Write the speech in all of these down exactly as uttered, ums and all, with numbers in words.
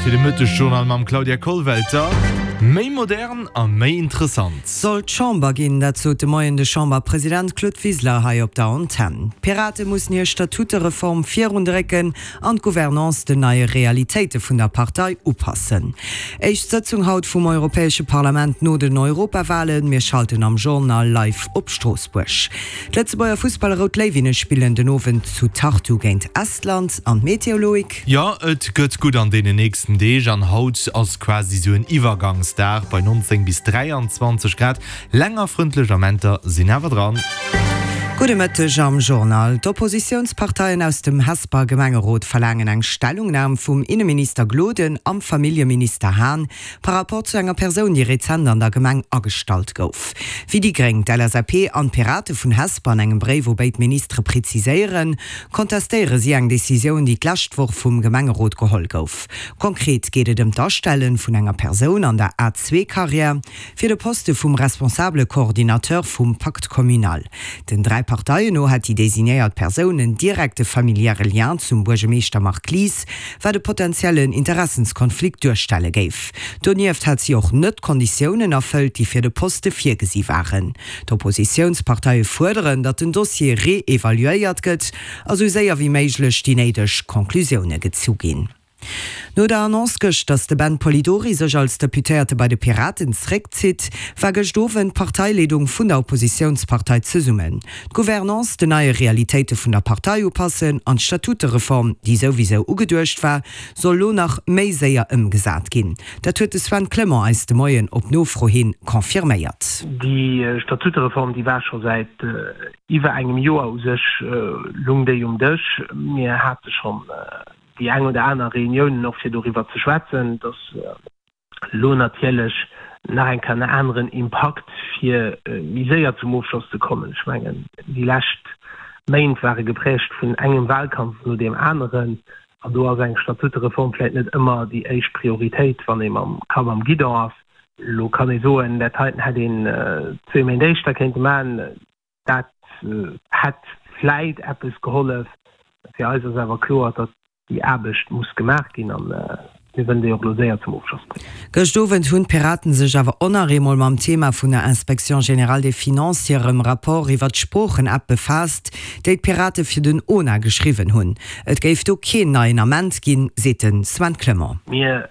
Zäit fir de Mëttesjournal mam Claudia Kollwelter. Méi modern a méi interessant. Soll d'Chamber ginn, dat sot de Moien de Chamberpresident Claude Wiseler hei op der Antenn. D'Pirate mussen hir Statutereform virundrécken an d'Gouvernance den neie Realitéite vun der Partei upassen. Éischt Sëtzung haut vum Europäesche Parlament no den Europawalen. Mir schalten am Journal live op Stroossbuerg. D'Lëtzebuerger Fussballer Rout Léiwinne spillen den Owend zu Tartu géint Estland. An d'Meteo, Loïc? Jo, et gëtt gutt an deenen nächsten Deeg an haut ass quasi sou en Iwwergangsdag bei neunzéng bis dräianzwanzeg Grad. Länger frëndlech Amenter sinn awer dran. Gudde Mëtteg am Journal. D'Oppositiounsparteien aus dem Hesper Gemengerot verlaangen eng Stellungnam vum Inneminister Gloden am Familljeminister Hahn par rapport zu enger Persoun, déi rezent an der Gemeng agestallt gouf. Wéi déi Gréng, d'L S A P an d'Pirate vun Hesper an engem Bréif u béid Ministere preziséieren, kontestéiere si eng Decisioun, déi d'lescht Woch vum Gemengerot geholl gouf. Konkret geet et ëm d'Astelle vun enger Persoun an der A-zwee-Karriär fir de Poste vum responsabele Coordinateur vum Pacte communal. Den dräi Parteien no hätt déi designéiert Persoun en direkte familiäre Lien zum Buergermeeschter Marc Lies, wat e potentiellen Interessenskonflikt duerstelle géif. Donieft hätt si och net d'Konditiounen erfëllt, déi fir de Poste virgesi waren. D'Oppositiounsparteie fuerderen, datt den Dossier reevaluéiert gëtt a sou séier wéi méiglech déi néideg Conclusioune gezu ginn. No der Annonce gëscht, datt de Ben Polidori sech als Deputéierte bei de Piraten zeréckzitt, war gëscht Owend d'Parteileedung vun der Oppositiounspartei zesummen. D'Gouvernance den neie Realitéite vun der Partei upassen an d'Statutereform, déi souwisou ugeduecht war, soll lo nach méi séier ëmgesat ginn. Dat huet de Sven Clement eis de Moien op Nofro hin confirméiert. Déi Statutereform, déi war scho säit iwwer engem Joer u sech, lung déi um Dësch. Mir hate schonn déi eng oder aner Reuniounen och fir doriwwer ze schwätzen, dass elo natierlech nach eng Kéier en aneren Impakt fir méi séier zum Ofschloss ze kommen. Ech mengen, déi lescht Méint ware geprägt vun engem Wahlkampf no deem aneren an do ass eng Statutereform vläicht net ëmmer déi éischt Prioritéit, wann ee mam Kapp am Guidon ass. Elo kann ee soen, dat heiten hätt een zwee Méint éischter kéinte maachen, dat hätt vläicht eppes gehollef. Fir eis ass awer kloer, datt déi Aarbecht muss gemaach ginn a mir wëllen déi och elo séier zum Ofschloss bréngen. Gëscht Owend hunn d'Piraten sech awer och nach eemol mam Thema vun der Inspection générale des Finances hirem Rapport iwwer d'Sproochen-App befaasst, déi d'Pirate fir den O N A geschriwwen hunn. Et géif do keen neien Ament ginn, seet de Sven Clement. Mir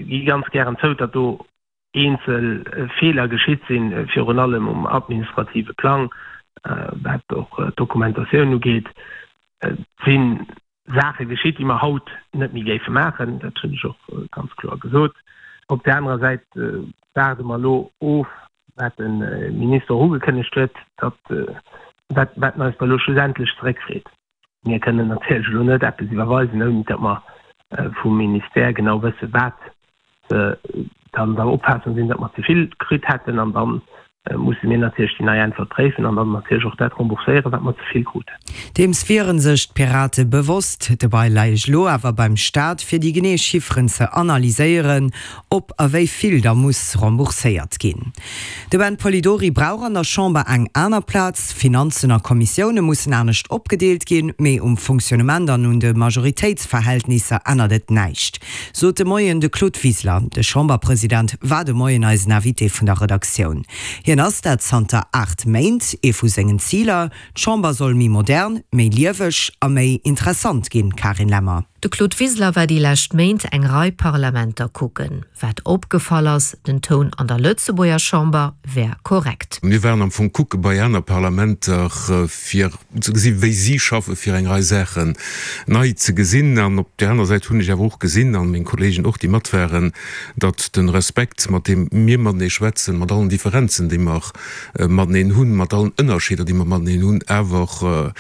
gi ganz gären zou, datt do eenzel Feeler geschitt sinn, virun allem um administrative Plang, wat och d'Dokumentatioun ugeet. Et si Saache geschitt, déi mer haut net méi géife maachen, dat hunn ech och ganz kloer gesot. Op där anerer Säit waarde mer elo of, wat de Minister och ugekënnegt huet, datt wat wat en eis da elo schlussendlech zeréckfreet. Mir kënnen natierlech elo net eppes iwwerweisen, ouni datt mer vum Ministère genau wësse wat se dann der Opfaassung sinn, datt mer ze vill kritt hätten. An da musse mir natierlech déi nei Äntwert préifen an dann natierlech och dat rembourséieren, wat mer ze vill kruten. Deems wiere sech d'Pirate bewosst. De Ball läich elo awer beim Staat, fir déi genee Chifferen ze analyséieren, ob a wéi vill da muss rembourséiert ginn. De Ben Polidori brauch an der Chamber eng aner Plaz. Finanzen a Kommissioune mussen anescht opgedeelt ginn, mee um Fonctionnement an un de Majoritéitsverhältnisser ännert et näischt, sot de Moien de Claude Wiseler. De Chamberpresident war de Moien eisen Invité vun der Redaktioun. Hien ass dat zanter aacht Méint. Ee vu sengen Ziler, D'Chamber soll méi modern, méi lieweg a méi interessant ginn. Karin Lemmer. De Claude Wiseler war déi lescht Méint eng Rei Parlamenter kucken. Wat opgefall ass, den Toun an der Lëtzebuerger Chamber wär korrekt. Mir waren am Fong kucke bei aner Parlamenter fir ze gesinn, wéi si schaffen, fir eng Rei Saachen nei ze gesinn. An op där aner Säit hunn ech awer och gesinn, an meng Kollegen och, déi mat waren, datt de Respekt, mat deem mir matenee schwätzen, mat allen Differenzen, déi mer mateneen hunn, mat allen Ënnerscheeder, déi mer mateneen hunn, awer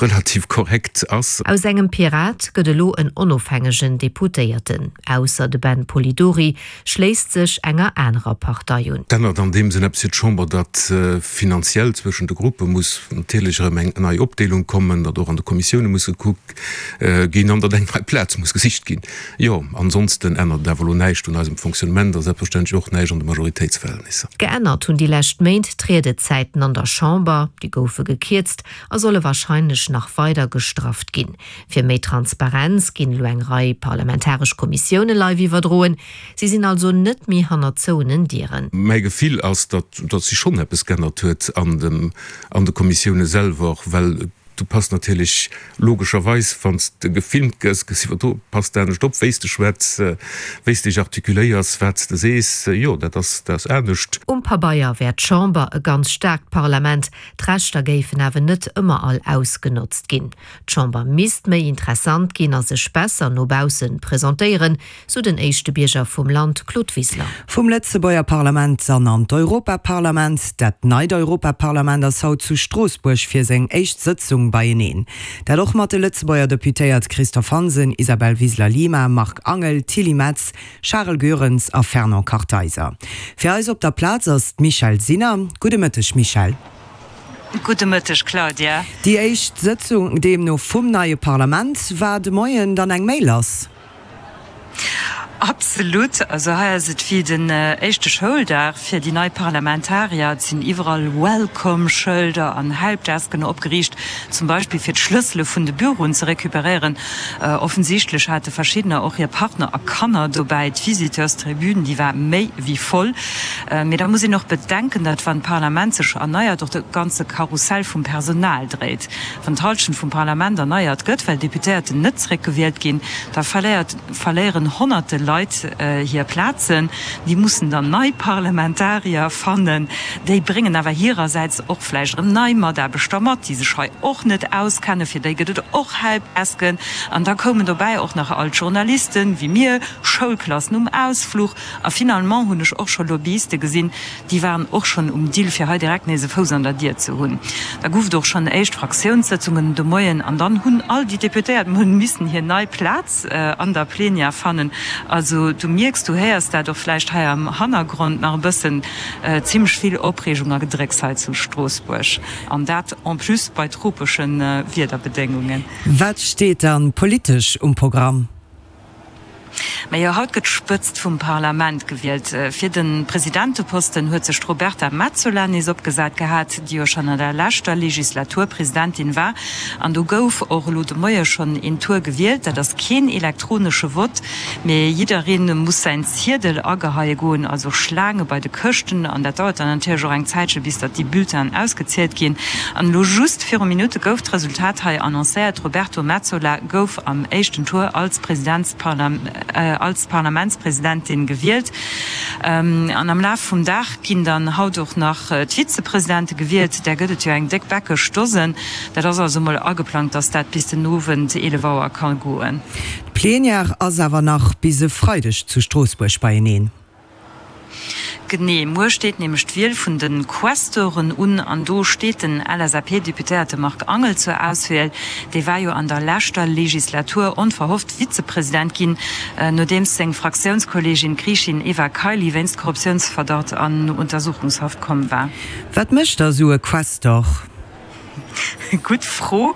relativ korrekt ass. Aus engem Pirat gëtt elo en onofhängegen Deputéierten. Ausser de Ben Polidori schléisst sech enger anerer Partei un. Et ännert an deem Sënn eppes fir d'Chamber, datt finanziell zwëschen de Gruppe muss natierlech erëm eng nei Opdeelung kommen, datt och an de Kommissioune muss gekuckt ginn an datt eng nei Plaz muss gesicht ginn. Jo, ansonsten ännert et awer elo näischt un eisem Fonctionnement a selbstverständlech och näischt an de Majoritéitsverhältnisser. Geännert hunn déi lescht Méint d'Riedezäiten an der Chamber. Déi goufe gekierzt a solle warscheinlech nach weider gestrafft ginn. Fir méi Transparenz Transparenz ginn elo eng Rei parlamentaresch Kommissioune live iwwerdroen. Si sinn also net méi hannert zouenen Dieren. Mäi Gefill ass, datt datt sech schonn eppes g'ännert huet an dem an de Kommissioune selwer, well du pass natierlech logescherweis, wann s de gefilmt gëss, gëss iwwerdro, pass de anescht op, wéi s de schwätz, wéi s dech artikuléiers, wat s de sees. Jo, dat ass dat ass anescht. Um Pabeier wär d'Chamber e ganz staarkt Parlament, d'Rechter géifen awer net ëmmer all ausgenotzt ginn. D'Chamber misst méi interessant ginn a sech besser no bausse presentéieren, sou den éischte Bierger vum Land Claude Wiseler. Vum Lëtzebuerger Parlament dann an d'Europaparlament. Dat neit Europaparlament ass haut zu Stroossbuerg fir seng éischt Sëtzung beieneen. Dat och mat de Lëtzebuerger Deputéiert Christophe Hansen, Isabel Wiseler-Lima, Marc Angel, Tilly Metz, Charel Goerens a Fernand Kartheiser. Fir eis op der Plaz ass d'Michèle Sinner. Gudde Mëtteg, Michèle. Gudde Mëtteg, Claudia. Déi éischt Sëtzung deemno vum neie Parlament. War de Moien dann eng Méi lass? Absolut. Also hei ass et wéi den éischte Schouldag fir déi nei Parlamentarier. Et sinn iwwerall Welcome-Schëlder an Helpdesken opgeriicht, zum Beispill fir d'Schlëssele vun de Büroen ze recuperéieren. Offensichtlech hate verschiddener och hir Partner a Kanner dobäi. D'Visiteurstribün, déi war méi wéi voll. Mee da muss een och bedenken, datt wann d'Parlament sech erneiert, och de ganze Karussell vum Personal dréit. Wann d'Hallschent vum Parlament erneiert gëtt, well Deputéierten net zeréckgewielt ginn, da verléiert, verléieren honnerte Leit hir Plazen. Déi mussen dann nei Parlamentarier fannen. Déi bréngen awer hirersäits och vläicht erëm nei Mataarbechter mat, déi sech hei och net auskennen. Fir déi gëtt et och Helpdesken. An da koumen dobäi och nach all d'Journalisten, wéi mir, Schoulklassen um Ausfluch. A finalement hunn ech och scho Lobbyiste gesinn, déi waren och schonn um Dill, fir hei direkt nees e Fouss an der Dier ze hunn. Da gouf et och schonn éischt Fraktiounssëtzungen de Moien an dann hunn all déi Deputéiert mol missen hir nei Plaz an der Plenière fannen. Also du mierks, du héiers dat och vläicht hei am Hannergrond nach e bëssen, zimmlech vill Opreegung a Gedrécks hei zu Stroossbuerg an dat en plus bei tropesche Wiederbedéngungen. Wat steet dann politesch um Programm? Majo, haut gëtt d'Spëtzt vum Parlament gewielt. Fir de Presidenteposten huet sech d'Roberta Metsola nees opgesat gehat, déi jo schonn an der leschter Legislatur Presidentin war. An do gouf och elo de Moie schonn een Tour gewielt. Dat ass keen elektronesche Vott, mee jidderee muss säin Ziedel ageheie goen, also Schlaange bei de Këschten. An dat dauert dann natierlech och eng Zäitche bis datt déi Bulletinen ausgezielt ginn. An elo just viru Minutte gouf d'Resultat hei annoncéiert, D'Roberto Metsola gouf am éischten Tour als als Parlamentspresidentin gewielt. An am Laf vum Dag ginn dann haut och nach d'Vizepresidente gewielt. Där gëtt et jo eng déck bäckesch Dosen. Dat ass also mol ageplangt, datt dat bis den Owend eelef Auer ka goen. D'Plenière ass awer nach bis e Freideg zu Stroossbuerg beieneen. Genee, muer steet nämlech d'Wiel vun de Questeuren un an do steet den L S A P-Deputéierte Marc Angel zur Auswiel. Dee war jo an der leschter Legislatur onverhofft Vizepresident ginn, nodeems seng Fraktiounskolleegin, d'Griichin Eva Kaili, wéinst Korruptiounsverdacht an Untersuchungshaft komm war. Wat mécht da sou e Questor? Gutt Fro.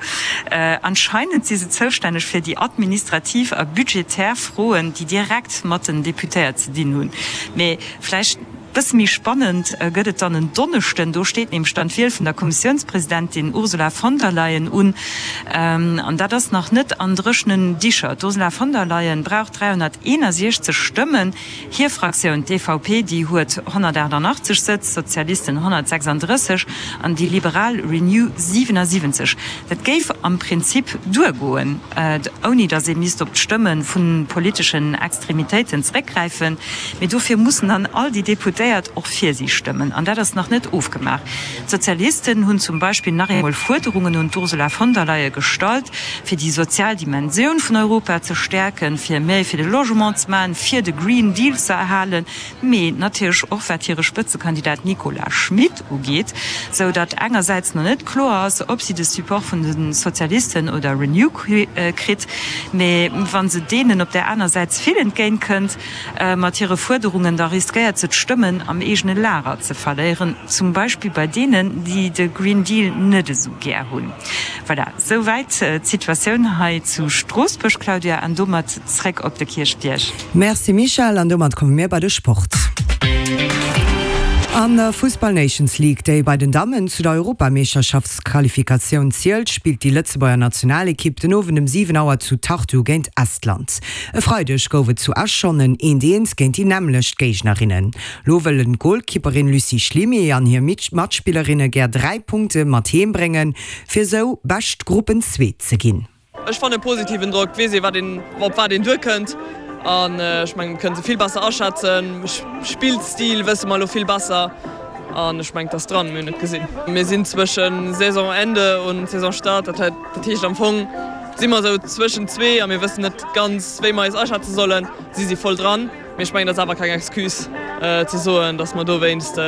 Anscheinend si se zoustänneg fir déi administrativ a budgetär Froen, déi direkt mat den Deputéiert ze dinn hunn. Mee vläicht bësse méi spannend gëtt et dann en Donneschden. Do steet nämlech dann d'Wiel vun der Kommissiounspresidentin Ursula von der Leyen un. An dat ass nach net an dréchenen Dicher. D'Ursula von der Leyen brauch dräihonnerteenasiechzeg Stëmmen. Hir Fraktioun, d'E V P, déi huet honnertaachtanachtzeg Sëtz, d'Sozialisten honnertsechsandrësseg an déi Liberal Renew siwenasiwwenzeg. Dat géif am Prinzip duergoen, ouni datt ee misst op d'Stëmme vu politeschen Extremitéiten zeréckgräifen. Mee dofir mussen dann all déi Deputéiert och fir si stëmmen. An dat ass nach net ofgemaach. D'Sozialisten hunn zum Beispill nach eemol Fuerderungen un d'Ursula von der Leyen gestallt, fir déi sozial Dimensioun vun Europa ze stäerken, fir méi fir de Logement ze maachen, fir de Green Deal ze erhalen, mee natierlech och wat hire Spëtzekandidat Nicolas Schmit ugeet, sou datt engersäits nach net kloer ass, ob si de Support vun de Sozialisten oder Renew kritt, mee wa se deenen op där aner Säit ze vill entgéint kënnt mat hire Fuerderungen, da riskéiert se d'Stëmmen am eegene Lager ze verléieren, zum Beispill bei deenen, déi de Green Deal net esou gär hunn. Voilà, souwäit d'Situatioun hei zu Stroossbuerg, Claudia, an domat zréck op de Kierchbierg. Merci Michèle, an domat komme mir bei de Sport. An der Fussball Nations League, déi bei den Dammen zu der Europameeschterschaftsqualifikatioun zielt, spillt déi Lëtzebuerger Nationalekipp den Owend um siwen Auer zu Tartu géint Estland. E Freideg gouf et zu Esch schonn en Eent-Eent géint déi nämmlecht Géignerinnen. Lo wëllen d'Golkipperin Lucie Schlimy an hir Matspillerinne gär dräi Punkte mat heem bréngen, fir esou bescht Gruppenzweet ze ginn. Ech fannen positiven Drock, et weess ee wat een, op wat een duerkënnt an ech mengen et kënnt se vill besser aschätzen. Spillstil wësse mer elo vill besser an ech mengen et ass dran, mir hunn et gesinn. Mir sinn zwëschen Saisonende un Saisonstart, dat dat heescht am Fong si mer esou zwëschen zwee a mir wëssen net ganz wéi mer eis aschätze sollen. Si si voll dran, mee ech mengen dat ass awer keng Excuse ze soen, datt mer dowéinst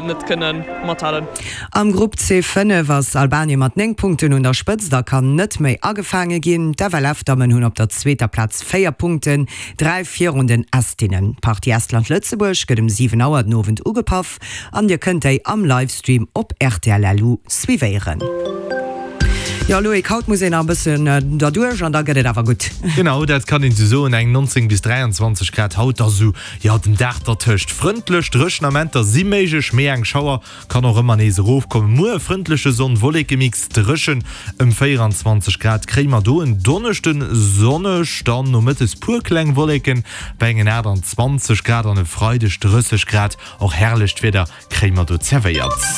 net kënne mathalen. Am Grupp C fënnef ass Albanien mat néng Punkten un der Spëtzt a kann net méi agefaange ginn. D'FLF-Dammen hunn op der zweeter Plaz véier Punkten, dräi virun den Estinnen. D'Partie Estland-Lëtzebuerg gëtt um siwen Auer den Owend ugepaff an dir kënnt déi am Livestream op rtl LU suivéieren. Jo Loïc, haut muss een nach e bëssen derduerch an da gëtt et awer gutt. Genau, dat kann een esou soen. Eng neunzéng bis dräianzwanzeg Grad haut, da sou, jo, den Dag dertëscht. Frëndlech, dréchen Amenter si méiglech, mee eng Schauer kann och ëmmer nees erofkommen. Muer e frëndleche Sonn-Wolleke-Mix, dréchen, ëm véieranzwanzeg Grad kréie mer do. En Donneschden sonneg, dann nomëttes puer kleng Wolleken bei engen aachtanzwanzeg Grad an e Freideg drësseg Grad. Och herrlecht Wieder kréie mer do zerwéiert.